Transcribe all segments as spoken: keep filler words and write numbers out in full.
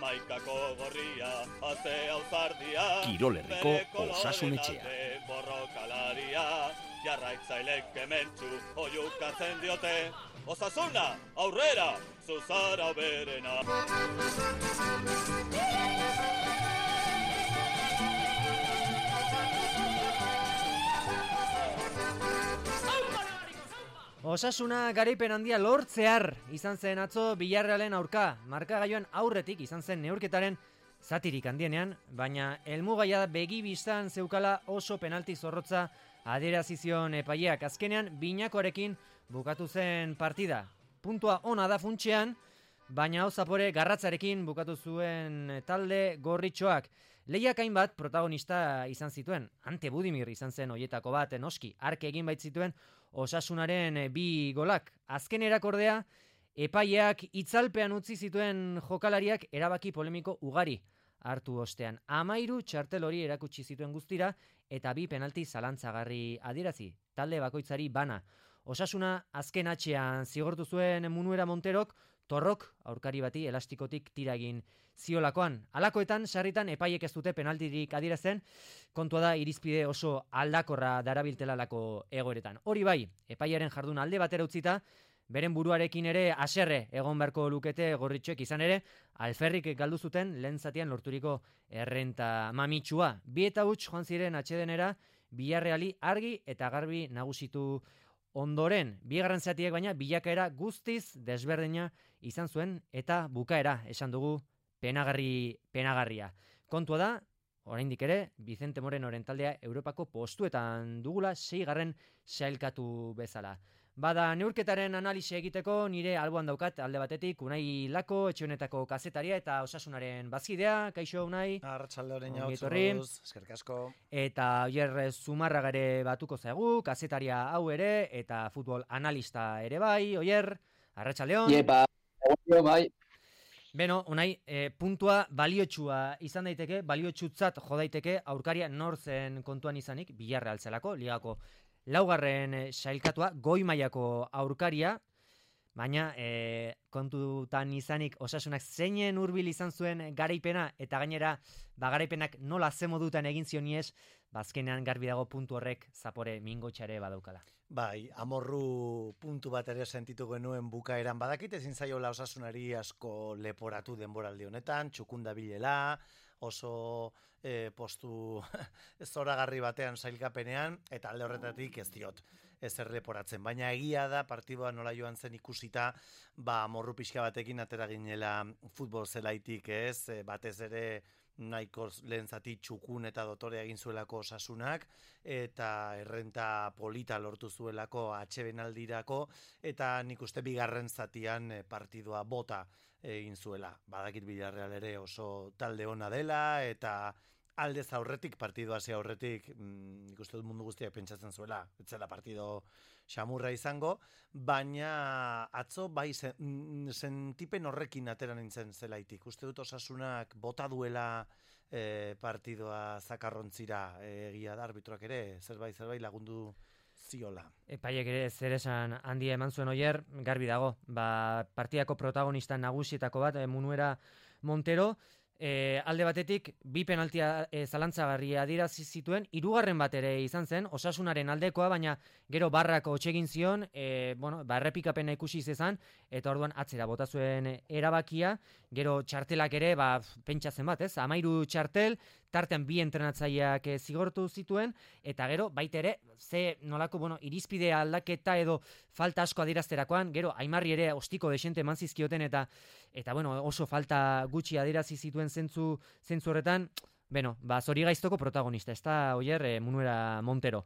Amaikako gorria, azte auzardia, Kirolerriko Osasun Etxea. Borrokalaria, jarraitzailek kementsu oiukatzen diote. Osasuna, aurrera, zuzara berena. Osasuna garaipen handia lortzear izan zen atzo Villarrealen aurka, markagailuan aurretik izan zen neurketaren zatirik handienean, baina helmugaia begi bistan zeukala oso penalti zorrotza adierazi zion epaileak. Azkenean binakoarekin bukatu zen partida. Puntua ona da funtsean, baina hau zapore garratzarekin bukatu zuen talde gorritxoak. Lehiak hainbat protagonista izan zituen. Ante Budimir izan zen hoietako bat, noski, ark egin bait zituen Osasunaren bi golak. Azken erakordea, epaileak itzalpean utzi zituen jokalariak erabaki polemiko ugari hartu ostean. Amairu txartel hori erakutsi zituen guztira eta bi penalti zalantzagarri adierazi. Talde bakoitzari bana. Osasuna azken atxean zigortu zuen Munuera Monterok, torrok aurkari bati elastikotik tira egin ziolakoan. Halakoetan sarritan epaiek ez dute penaltirik adierazten, kontua da irizpide oso aldakorra darabiltelalako egoeretan. Hori bai, epaiaren jardun alde batera utzita, beren buruarekin ere haserre egon beharko lukete gorritxoek, izan ere, alferrik galdu zuten lehen zatian lorturiko errenta mamitsua. Bi eta huts joan ziren atsedenera, Villarreali argi eta garbi nagusitu ondoren. Bigarren zatiek baina bilakaera guztiz desberdina izan zuen eta bukaera esan dugu penagarri penagarria. Kontua da, oraindik ere, Vicente Morenoren taldea Europako postuetan dugula seigarren sailkatu bezala. Bada neurketaren analisi egiteko nire alboan daukat alde batetik Unai Lako, etxe honetako kazetaria eta Osasunaren bazkidea. Kaixo Unai. Arratsalde orein hau zuruz, eskerrik asko. Eta Oier Zumarragare batuko zaigu, kazetaria hau ere eta futbol analista ere bai. Oier, arratsaldeon. Iepa, bai. Beno, Unai, e, puntua baliotsua izan daiteke, baliotsutzat jo daiteke aurkaria nor zen kontuan izanik, Villarreal zelako, ligako laugarren sailkatua, goi mailako aurkaria, baina e, kontutan izanik Osasunak zeinen hurbil izan zuen garaipena, eta gainera ba, garaipenak nola ze modutan egin zioniez, bazkenean garbi dago puntu horrek zapore mingotxare badaukala. Bai, amorru puntu bat ere sentitu genuen bukaeran, badakit ezin zaiola Osasunari asko leporatu denboraldi honetan, txukunda bilela, oso e, postu zoragarri batean sailkapenean, eta alde horretatik ez diot ez erreporatzen. Baina egia da, partidua nola joan zen ikusita, ba, morru pixka batekin atera ginela futbol zelaitik, ez, e, batez ere nahiko lehen zati txukun eta dotore egin zuelako Osasunak, eta errenta polita lortu zuelako atsebenaldirako, eta nik uste bigarren zatian partidua bota egin zuela. Badakit Villarreal ere oso talde ona dela, eta aldez aurretik, partidu hasi aurretik, nik uste dut mundu guztiak pentsatzen zuela, ez zela partido xamurra izango, baina atzo bai sentipen horrekin atera nintzen zelaitik. Uste dut Osasunak bota duela e, partidua zakarrontzira, egia da arbitroak ere, zerbait zerbait lagundu ziola. Epaiek ere zer esan handia eman zuen Oier, garbi dago, ba, partidako protagonista nagusietako bat, Munuera Montero, E, alde batetik, bi penaltia e, zalantzagarri adierazi zituen, hirugarren bat ere izan zen, Osasunaren aldekoa, baina gero barrako otsegin zion, e, bueno, ba, errepikapena ikusi zezan, eta orduan atzera bota zuen erabakia, gero txartelak ere, ba, pentsatzen bat, ez? Amairu txartel, tartean bi entrenatzaileak e, zigortu zituen, eta gero, baita ere, ze nolako, bueno, irizpide aldaketa edo falta asko adierazterakoan, gero, Aimarri ere ostiko desente eman zizkioten, eta, eta bueno, oso falta gutxi adierazi zituen zentzu, zentzu horretan, beno, ba, zori gaiztoko protagonista, ez da, Oier, e, Munuera Montero.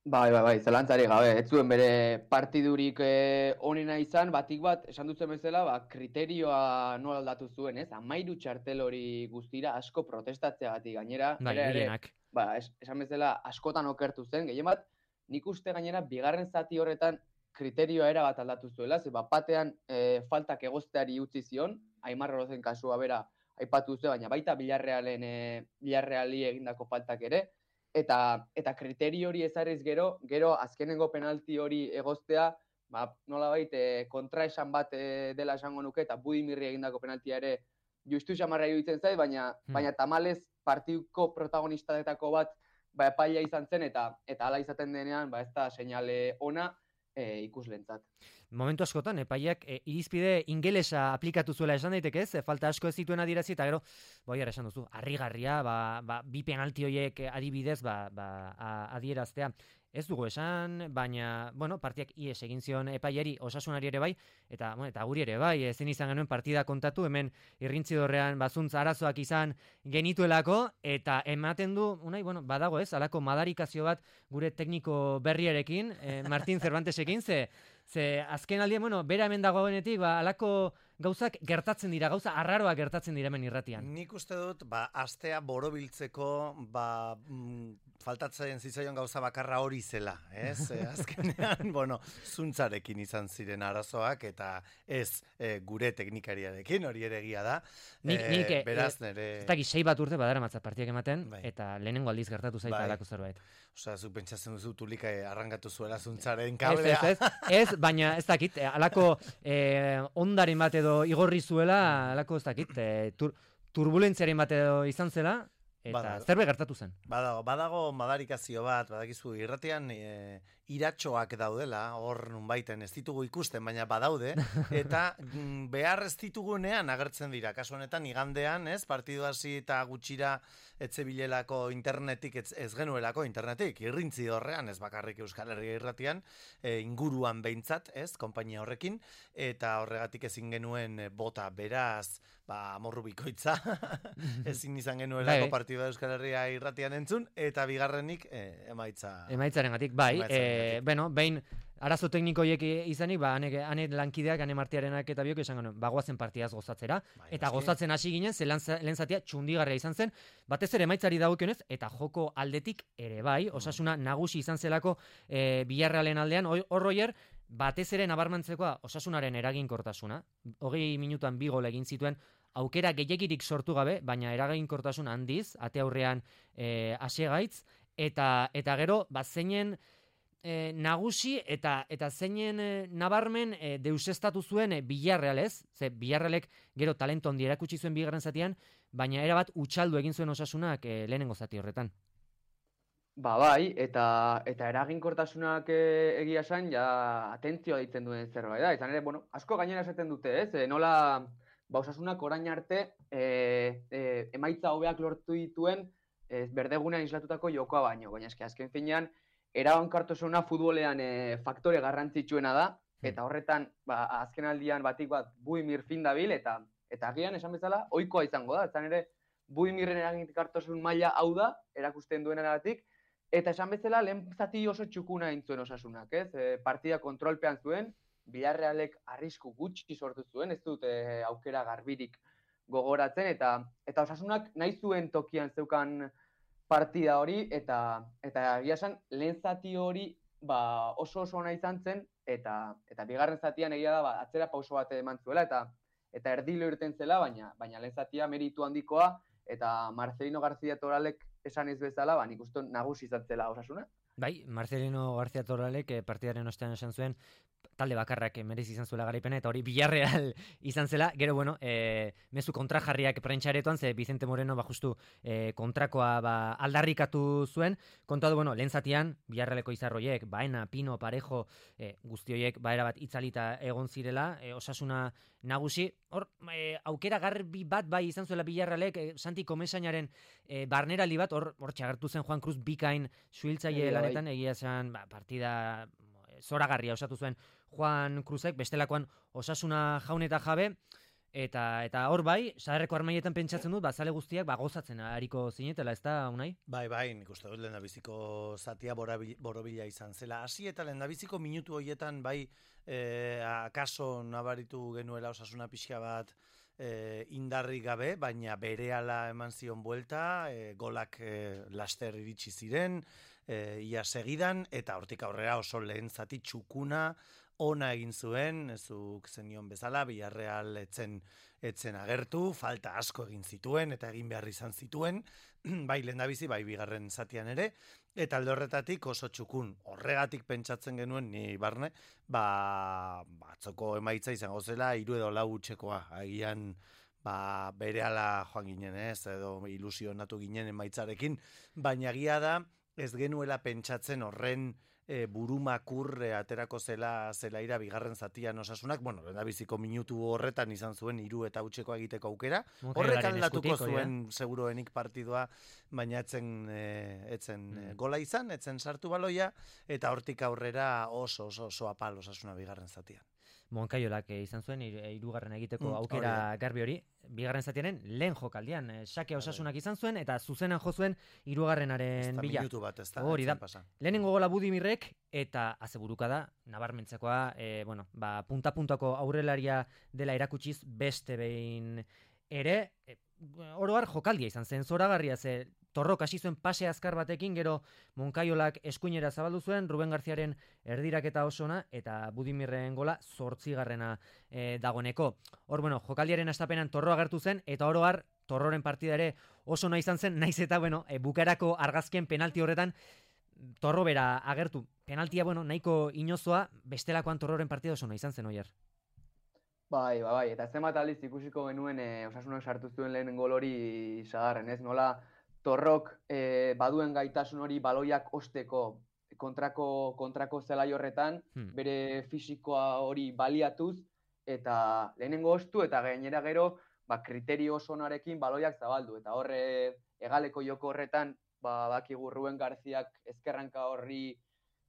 Bai, bai, bai, zelantzari gabe, ez zuen bere partidurik eh, onena izan, batik bat, esan dutzen bezala, ba, kriterioa nola aldatu zuen, ez? Amairu txartel hori guztira asko protestatzeagatik gainera. Bai, gehienak. Ba, es, esan bezala askotan okertu zen, gehien bat, nik uste gainera bigarren zati horretan kriterioa era bat aldatu zuela, ze bat batean e, faltak egozteari utzi zion, Aimar Orozen kasua bera aipatu zuen, baina baita Villarrealen e, Villarreali egindako faltak ere, eta eta kriterio hori ezarriz gero, gero azkenengo penalti hori egoztea, ba, nolabait e, kontraesan bat e, dela esango nuke, eta Budimirri egindako penaltia ere justu xamarra iruditzen zait, baina, Hmm. baina tamalez partiduko protagonistetako bat ba, epaia izan zen, eta eta hala izaten denean, ba, ez da seinale ona e, ikuslentzat. Momentu askotan, epaiak e, irizpide ingelesa aplikatu zuela esan daiteke ez, e, falta asko ez zituen adierazi, eta gero, boiar esan duzu, harrigarria, ba, ba, bi penalti horiek adibidez, ba, ba, a- adieraztea. Ez dugu esan, baina, bueno, partiak ies egin zion epaiari, Osasunari ere bai, eta, bueno, eta guri ere bai, ezin izan genuen partida kontatu, hemen irrintzidorrean bazuntz arazoak izan genituelako, eta ematen du, unai, bueno, badago ez, alako madarikazio bat gure tekniko berriarekin, eh, Martin Cervantesekin, ze, ze azken aldian, bueno, bera hemen dagoenetik, ba, alako gauzak gertatzen dira, gauza arraroak gertatzen dira hemen irratian. Nik uste dut, ba, astea borobiltzeko, ba, mm, faltatzen zitzaion gauza bakarra hori zela, ez? E, azkenean, bueno, zuntzarekin izan ziren arazoak, eta ez e, gure teknikariarekin, hori ere egia da. Nik, E, nik, e, beraz, e, nere... ez dakit sei bat urte badara matzat partiak ematen, Bai. eta lehenengo aldiz gertatu zaita Bai. alako zerbait. Osea, zu pentsatzen duzu tulika arrangatu zuela zuntzaren Ez, kablea. ez, ez, ez, baina ez dakit, eh, alako eh, ondaren bat edo igorri zuela, alako ez dakit, eh, tur, turbulentziaren bat edo izan zela, eta Badago. zerbait gertatu zen. Badago, badago madarikazio bat, badakizu irratean e, iratxoak daudela, hor nunbaiten ez ditugu ikusten, baina badaude, eta mm, behar ez ditugunean agertzen dira. Kasu honetan igandean, ez, partidu hasi eta gutxira etzebilelako internetik, ez, ez genuelako internetik, irrintzi horrean, ez bakarrik Euskal Herria irratian, e, inguruan behintzat, ez, konpainia horrekin, eta horregatik ezin genuen e, bota, beraz, ba, amorru bikoitza, ezin izan genuelako Bai. partidua Euskal Herria irratian entzun, eta bigarrenik e, emaitza... Emaitzarengatik, bai, Emaitzarengatik. eh, bueno, behin arazo teknikoiek izanik, ba, ane, ane lankideak, ane martiarenak eta biok esan genuen, bagoazen partidaz gozatzera, Bai, eta noski. gozatzen hasi ginen, ze lehen zatia txundigarria izan zen, batez ere emaitzari dagokionez, eta joko aldetik ere bai, Osasuna nagusi izan zelako e, Villarrealen aldean, hor roier, batez ere nabarmentzekoa Osasunaren eraginkortasuna, hogei minutuan bi gol egin zituen, aukera gehiegirik sortu gabe, baina eraginkortasun handiz, ate aurrean e, asegaitz, eta, eta gero, ba, zeinen e, nagusi eta eta zeinen e, nabarmen e, deusestatu zuen e, Villarreal ez, ze Villarrealek gero talento handi erakutsi zuen bigarren zatian, baina erabat utxaldu egin zuen Osasunak e, lehenengo zati horretan. Ba bai, eta eta eraginkortasunak e, egia esan, ja atentzioa ditzen duen zerbait da. Izan ere, bueno, asko gainera esaten dute, ez? E, nola ba, Osasunak orain arte e, e, emaitza hobeak lortu dituen e, berdegunean islatutako jokoa baino. Baina eske azken finean, eraginkortasuna futbolean e, faktore garrantzitsuena da, eta horretan, ba, azken aldian batik bat Buimir fin dabil, eta eta agian esan bezala, ohikoa izango da. Izan ere, Buimirren eraginkortasun maila hau da, erakusten duenagatik. Eta esan bezala, lehen zati oso txukuna egin zuen Osasunak, ez? E, partida kontrolpean zuen, Villarrealek arrisku gutxi sortu zuen, ez dut e, aukera garbirik gogoratzen, eta eta Osasunak nahi zuen tokian zeukan partida hori, eta eta egia esan, lehen zati hori ba, oso oso ona izan zen, eta eta bigarren zatian egia da, ba, atzera pauso bat eman zuela, eta eta erdilo irten zela, baina baina lehen zatia meritu handikoa, eta Marcelino García Toralek esan ez bezala, ba, nik uste nagusi izan zela Osasuna. Bai, Marcelino García Torralek eh, partidaren ostean esan zuen, talde bakarrak merezi izan zuela garaipena, eta hori Villarreal izan zela, gero, bueno, e, mezu kontrajarriak prentxaretoan, ze Vicente Moreno, ba, justu e, kontrakoa ba, aldarrikatu zuen, kontatu, bueno, lehen zatian, Villarrealeko izarroiek, Baena, Pino, Parejo, e, guztioiek, ba, erabat itzalita egon zirela, e, Osasuna nagusi, hor, e, aukera garbi bat bai izan zuela Villarrealek, e, Santi Komesainaren e, barneraldi bat, hor, hor txagertu zen Juan Cruz bikain suhiltzaile Egia, bai. lanetan, egia esan, ba, partida zoragarria osatu zuen Juan Cruzek, bestelakoan Osasuna jaun eta jabe, eta eta hor bai, saderreko armaietan pentsatzen dut, bazale guztiak ba, gozatzen ariko zinetela, ez da, Unai? Bai, bai, nik uste dut lehendabiziko zatia borabil- borobila izan zela. Hasi eta lehendabiziko minutu horietan bai, eh, akaso nabaritu genuela Osasuna pixka bat eh, indarri gabe, baina berehala eman zion buelta, eh, golak eh, laster iritsi ziren, eh, ia segidan, eta hortik aurrera oso lehen zati txukuna, ona egin zuen, ezuk zenion bezala, Villarreal etzen, etzen agertu, falta asko egin zituen, eta egin behar izan zituen, bai lehendabizi, bai bigarren zatian ere, eta alde horretatik oso txukun. Horregatik pentsatzen genuen, ni barne, ba, batzoko emaitza izango zela, hiru edo lau utxekoa, agian, ba, berehala joan ginen ez, edo ilusionatu ginen emaitzarekin, baina egia da ez genuela pentsatzen horren e, burumakur e, aterako zela zelaira bigarren zatian Osasunak, bueno, lehendabiziko minutu horretan izan zuen hiru eta hutseko egiteko aukera, horrek aldatuko zuen ja. Seguruenik partidua, baina etzen, e, etzen mm. gola izan, etzen sartu baloia, eta hortik aurrera oso oso, oso apal Osasuna bigarren zatian. Monkaiolak izan zuen hirugarren egiteko aukera mm, garbi hori, bigarren zatiaren lehen jokaldian, sake Osasunak izan zuen eta zuzenan jo zuen hirugarrenaren bila. Minutu bat, ez da. Hori da. Lehenengo gola Budimirrek eta azeburuka da, nabarmentzekoa, e, bueno, ba, punta-puntako aurrelaria dela erakutsiz beste behin ere, e, oroar jokaldia izan zen, zoragarria ze Torrok hasi zuen pase azkar batekin, gero Monkaiolak eskuinera zabaldu zuen, Ruben Garziaren erdiraketa osona, eta Budimirren gola zortzigarrena e, dagoneko. Hor, bueno, jokaldiaren astapenan Torro agertu zen, eta oro har, Torroren partida ere oso nahi izan zen, naiz eta, bueno, e, bukarako argazken penalti horretan, Torro bera agertu. Penaltia, bueno, nahiko inozoa, bestelakoan Torroren partida oso nahi izan zen, oier. Bai, bai, bai, eta zenbat aldiz ikusiko genuen e, Osasunak sartu zuen lehen gol hori sagarren, ez? Nola Torrok e, baduen gaitasun hori baloiak osteko kontrako, kontrako zelai horretan, hmm. bere fisikoa hori baliatuz, eta lehenengo ostu, eta gainera gero, ba, kriterio osonarekin baloiak zabaldu. Eta horre, egaleko joko horretan, ba, bakigu Ruben Garziak ezkerranka horri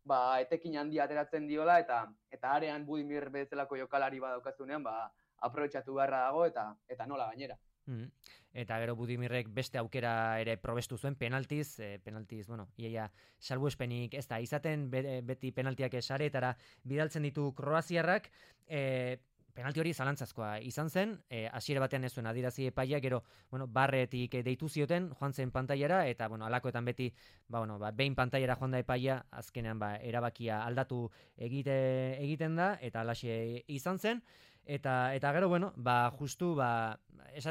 ba, etekin handia ateratzen diola, eta eta arean Budimir bezalako jokalari badaukazunean, ba, aprobetxatu beharra dago, eta eta nola gainera. Mm. Eta gero Budimirrek beste aukera ere probestu zuen penaltiz, e, penaltiz, bueno, iaia salbuespenik ez da, izaten be, beti penaltiak esaretara bidaltzen ditu kroaziarrak, e, penalti hori zalantzazkoa izan zen, e, hasiera batean ez zuen adirazi epaia, gero, bueno, barretik deitu zioten, joan zen pantailara, eta, bueno, alakoetan beti, ba, bueno, ba, behin pantailara joan da epaia, azkenean, ba, erabakia aldatu egite, egiten da, eta alaxe izan zen, Eta, eta gero, bueno, ba, justu, ba,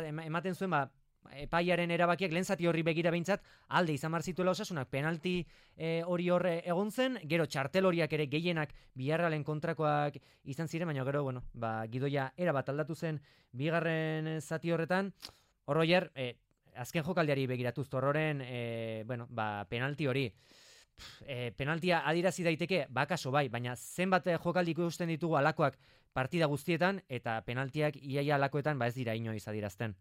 ematen zuen, ba, epaiaren erabakiak lehen zati horri begira behintzat, alde izan marzituela Osasunak penalti e, hori horre egon zen, gero txartel horiak ere gehienak Villarrealen kontrakoak izan ziren, baina gero, bueno, ba, gidoia erabat aldatu zen bigarren zati horretan, horroier, e, azken jokaldiari begiratuz, Torroren, e, bueno, ba, penalti hori, E, penaltia adirazi daiteke, bakaso bai, baina zenbat jokaldi ikusten ditugu alakoak partida guztietan, eta penaltiak iaia alakoetan ba ez dira inoiz adirazten.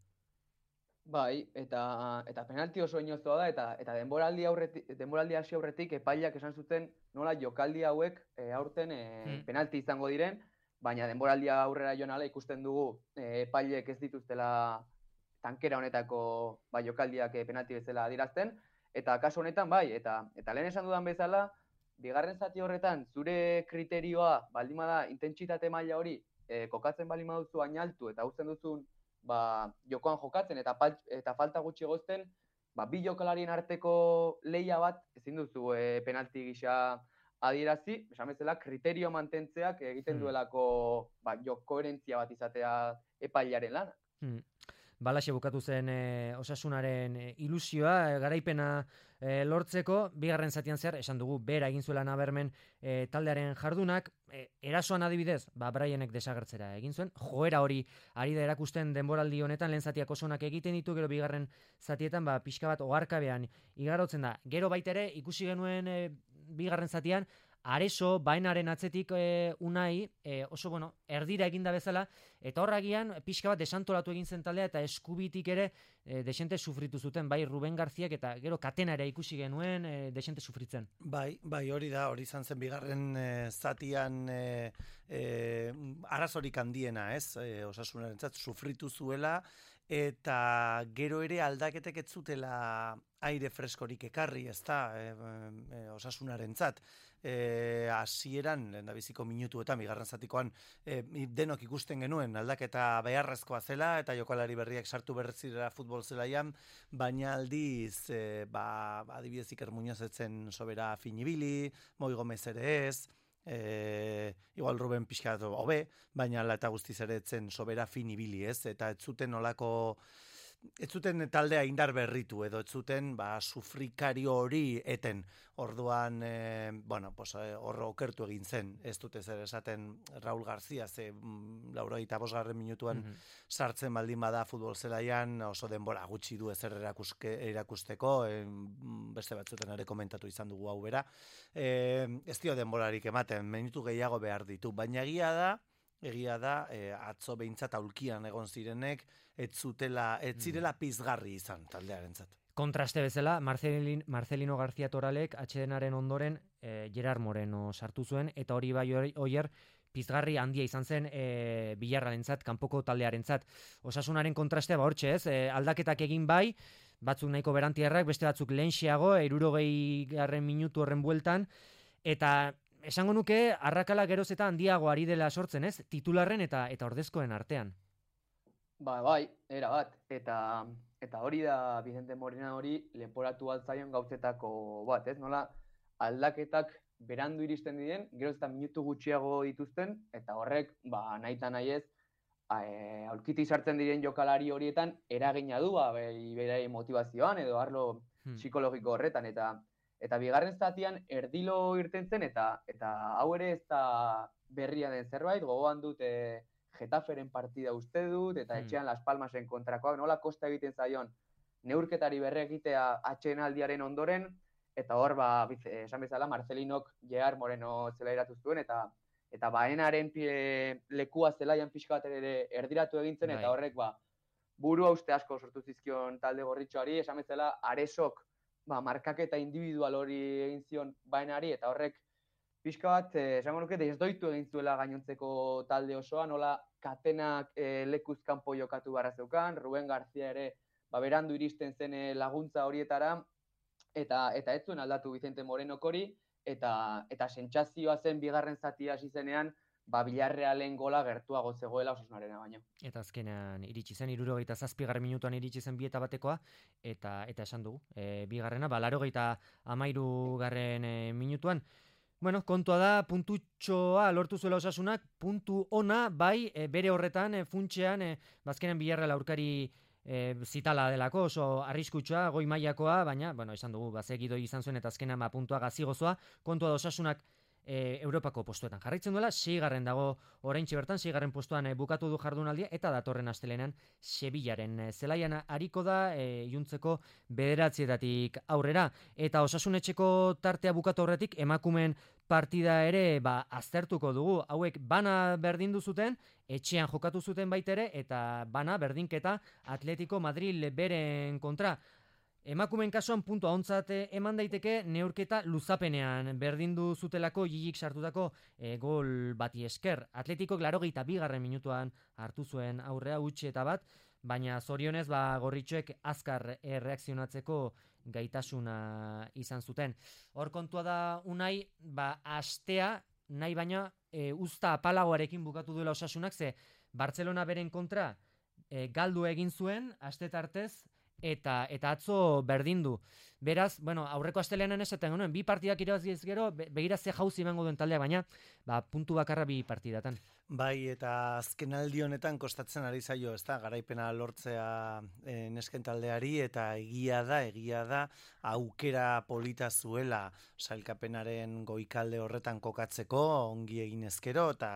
Bai, eta eta penalti oso inozoa da, eta eta denboraldi aurretik, denboraldi hasi aurretik epaileak esan zuten nola jokaldi hauek e, aurten e, hmm. penalti izango diren, baina denboraldia aurrera joan ala ikusten dugu e, epaileek ez dituztela tankera honetako ba, jokaldiak e, penalti bezala adirazten, eta kasu honetan bai, eta eta lehen esan dudan bezala, bigarren zati horretan zure kriterioa baldin bada intentsitate maila hori e, kokatzen baldin baduzu ainaltu eta uzten duzun ba, jokoan jokatzen eta eta falta gutxi egozten, ba, bi jokalarien arteko lehia bat ezin duzu e, penalti gisa adierazi, esan bezala kriterio mantentzeak egiten duelako ba, jo koherentzia bat izatea epailearen lana. Hmm. Balaxe bukatu zen e, Osasunaren e, ilusioa, e, garaipena e, lortzeko, bigarren zatian zehar, esan dugu, bera egin zuela nabermen e, taldearen jardunak, e, erasoan adibidez, ba, Bryanek desagertzera egin zuen, joera hori ari da erakusten denboraldi honetan, lehen zatiak osonak egiten ditu, gero bigarren zatietan, ba, pixka bat oharkabean igarotzen da. Gero baitere, ikusi genuen e, bigarren zatian, Areso, bainaren atzetik e, unai, e, oso, bueno, erdira eginda bezala, eta horragian pixka bat desantolatu egin zen taldea, eta eskubitik ere e, desente sufritu zuten, bai Ruben Garziak, eta gero katena ere ikusi genuen e, desente sufritzen. Bai, bai, hori da, hori izan zen bigarren e, zatian e, e, arazorik handiena, ez, e, Osasunarentzat sufritu zuela, eta gero ere aldaketek ez zutela aire freskorik ekarri, ez da, e, e, Osasunarentzat. E, hasieran lehendabiziko minutuetan bigarren zatikoan e, denok ikusten genuen aldaketa beharrezkoa zela eta jokalari berriak sartu berrizira futbol zelaian, baina aldiz e, ba, adibidez Iker Muñoz etzen sobera finibili, Moi Gomez ere ez, e, igual Ruben pixka hobe, baina ala eta guztiz ere etzen sobera finibili ez, eta ez zuten olako ez zuten taldea indar berritu edo ez zuten ba, sufrikario hori eten. Orduan, e, bueno, pues, horro okertu egin zen, ez dute zer esaten Raul García, ze mm, laurogeita bosgarren minutuan mm -hmm. sartzen baldin bada futbol zelaian, oso denbora gutxi du ezer erakuske, erakusteko, e, beste batzuten ere komentatu izan dugu hau bera. E, ez dio denborarik ematen, minutu gehiago behar ditu, baina egia da, egia da, e, atzo behintzat aulkian egon zirenek, ez zutela, ez zirela pizgarri izan taldearentzat. Kontraste bezala, Marcelin, Marcelino García Toralek atsedenaren ondoren e, Gerard Moreno sartu zuen, eta hori bai oier pizgarri handia izan zen e, Bilarrarentzat, kanpoko taldearentzat. Osasunaren kontrastea ba hortxe ez, e, aldaketak egin bai, batzuk nahiko berantierrak, beste batzuk lehenxiago, hirurogei garren minutu horren bueltan, eta esango nuke arrakala geroz eta handiago ari dela sortzen ez, titularren eta eta ordezkoen artean. Ba, bai, era bat, eta eta hori da Vicente Morena hori leporatu altzaion gauzetako bat, ez? Nola aldaketak berandu iristen diren, gero eta minutu gutxiago dituzten, eta horrek, ba, nahita nahi ez, e, aulkiti sartzen diren jokalari horietan eragina du, ba, bere motivazioan edo arlo hmm. psikologiko horretan, eta eta bigarren zatian erdilo irten zen, eta eta hau ere ez da berria den zerbait, gogoan dut e, Getaferen partida uste dut, eta etxean Las Palmasen kontrakoak, nola kosta egiten zaion neurketari berre egitea atsedenaldiaren ondoren, eta hor, ba, esan bezala, Marcelinok Gerard Moreno zelairatu zuen, eta eta baenaren pie, lekua zelaian pixka bat ere erdiratu egintzen, eta horrek, ba, burua uste asko sortu zizkion talde gorritxoari, esan bezala, Aresok, ba, markaketa individual hori egin zion baenari, eta horrek, pixka bat, eh, esango nuke, desdoitu egin zuela gainontzeko talde osoa, nola katenak eh, lekuz kanpo jokatu barra zeukan, Ruben García ere ba, berandu iristen zen laguntza horietara, eta eta ez zuen aldatu Vicente Morenok hori, eta eta sentsazioa zen bigarren zatia hasi zenean, ba, Villarrealen gola gertuago zegoela Osasunarena baino. Eta azkenean iritsi zen, hirurogeita zazpigarren minutuan iritsi zen bieta batekoa, eta eta esan dugu, e, bigarrena, ba, laurogeita hamairugarren e, minutuan. Bueno, kontua da, puntutxoa lortu zuela Osasunak, puntu ona, bai, e, bere horretan, e, funtxean, e, bazkenean Villarreal aurkari e, zitala delako, oso arriskutsua, goi mailakoa, baina, bueno, esan dugu, bazegidoi izan zuen, eta azkenean ba, puntua gazigozoa, kontua da Osasunak e, Europako postuetan jarraitzen duela, seigarren dago oraintxe bertan, seigarren postuan e, bukatu du jardunaldia, eta datorren astelenean Sevillaren e, zelaian hariko da, e, iluntzeko bederatzietatik aurrera, eta Osasunetxeko tartea bukatu horretik, emakumeen partida ere ba, aztertuko dugu, hauek bana berdindu zuten, etxean jokatu zuten baitere, eta bana berdinketa Atletico Madrid beren kontra. Emakumeen kasuan puntua ontzat eman daiteke neurketa luzapenean berdindu zutelako Jijik sartutako e, gol bati esker. Atletikok laurogeita bigarren minutuan hartu zuen aurrea utzi eta bat, baina zorionez ba, gorritxoek azkar erreakzionatzeko gaitasuna izan zuten. Hor kontua da Unai, ba, astea nahi baina e, usta apalagoarekin bukatu duela Osasunak, ze Barcelona beren kontra e, galdu egin zuen, aste tartez, eta eta atzo berdindu. Beraz, bueno, aurreko astelehenan esaten genuen, bi partidak irabaziz gero, begira ze jauzi emango duen taldea, baina ba, puntu bakarra bi partidatan. Bai, eta azken aldi honetan kostatzen ari zaio, ez da, garaipena lortzea e, nesken taldeari, eta egia da, egia da, aukera polita zuela sailkapenaren goikalde horretan kokatzeko, ongi egin ezkero, eta,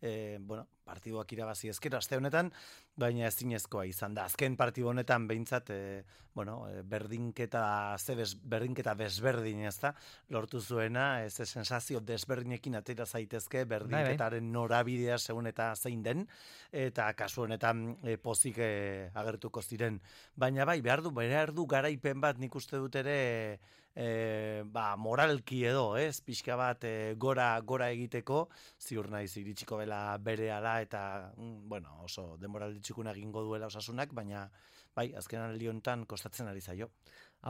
e, bueno, partiduak irabazi ezkero, aste honetan, baina ezinezkoa izan da. Azken partidu honetan behintzat, e, bueno, e, berdinketa, ze bez, berdinketa desberdin, ez da, lortu zuena, ez sensazio desberdinekin atera zaitezke, berdinketaren norabidea segun eta zein den, eta kasu honetan e, pozik e, agertuko ziren. Baina bai, behar du, behar du garaipen bat nik uste dut ere, e, ba, moralki edo, ez, pixka bat e, gora, gora egiteko, ziur naiz iritsiko bela berehala, eta, mm, bueno, oso denboralditxukuna egingo duela Osasunak, baina bai, azken aldi honetan kostatzen ari zaio.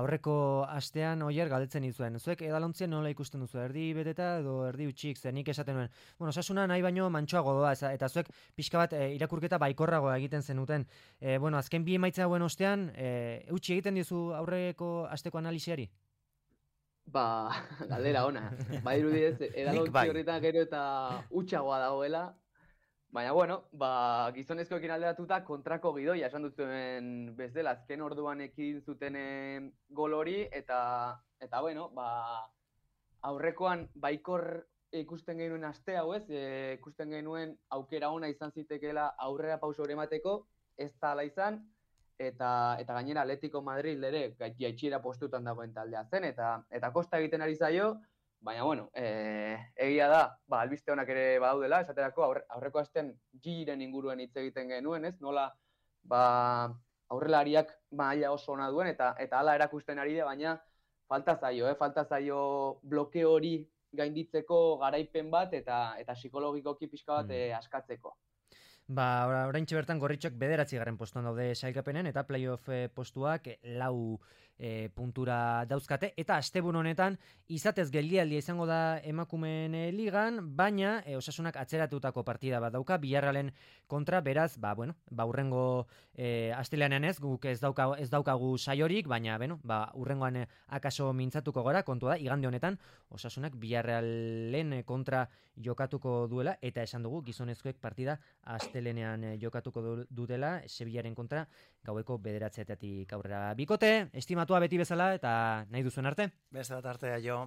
Aurreko astean Oier galdetzen izuen. Zuek edalontzien nola ikusten duzu? Erdi beteta edo erdi utxik, zer nik esaten nuen. Bueno, Osasuna nahi baino mantsoago doa, eta zuek pixka bat e, irakurketa baikorragoa egiten zenuten. E, bueno, azken bi emaitza hauen ostean, e, utxi egiten dizu aurreko asteko analisiari? Ba, galdera ona. Ba, irudiez, edalontzi horretan gero eta utxagoa dagoela, Baina, bueno, ba, gizonezkoekin alderatuta kontrako gidoia esan duzuen bezala, azken orduan ekin zuten eh, gol hori, eta, eta bueno, ba, aurrekoan baikor ikusten genuen aste hau ez, e, ikusten genuen aukera ona izan zitekeela aurrera pauso hori emateko, ez da ala izan, eta, eta gainera Atletico Madrid ere jaitxiera postutan dagoen taldea zen, eta, eta kosta egiten ari zaio, baina, bueno, e, egia da, ba, albiste honak ere badaudela, esaterako aurre, aurreko astean Giren inguruen hitz egiten genuen, ez? Nola, ba, aurrelariak maila oso ona duen, eta eta hala erakusten ari da, baina falta zaio, eh? Falta zaio bloke hori gainditzeko garaipen bat, eta eta psikologikoki pixka bat eh, askatzeko. Ba, oraintxe bertan Gorritxok bederatzi garren postuan daude sailkapenen, eta playoff eh, postuak eh, lau eh, puntura dauzkate, eta asteburu honetan izatez geldialdia izango da emakumeen eh, ligan, baina eh, Osasunak atzeratutako partida bat dauka Villarrealen kontra, beraz, ba, bueno, ba, urrengo eh, asteleanean ez, guk ez daukagu, ez daukagu saiorik, baina, bueno, ba, urrengoan eh, akaso mintzatuko gara, kontua da, igande honetan Osasunak Villarrealen eh, kontra jokatuko duela, eta esan dugu gizonezkoek partida astelenean eh, jokatuko du, dutela Sevillaren kontra gaueko bederatzietatik aurrera. Bikote, estimatua beti bezala, eta nahi duzuen arte. Beste bat artea jo.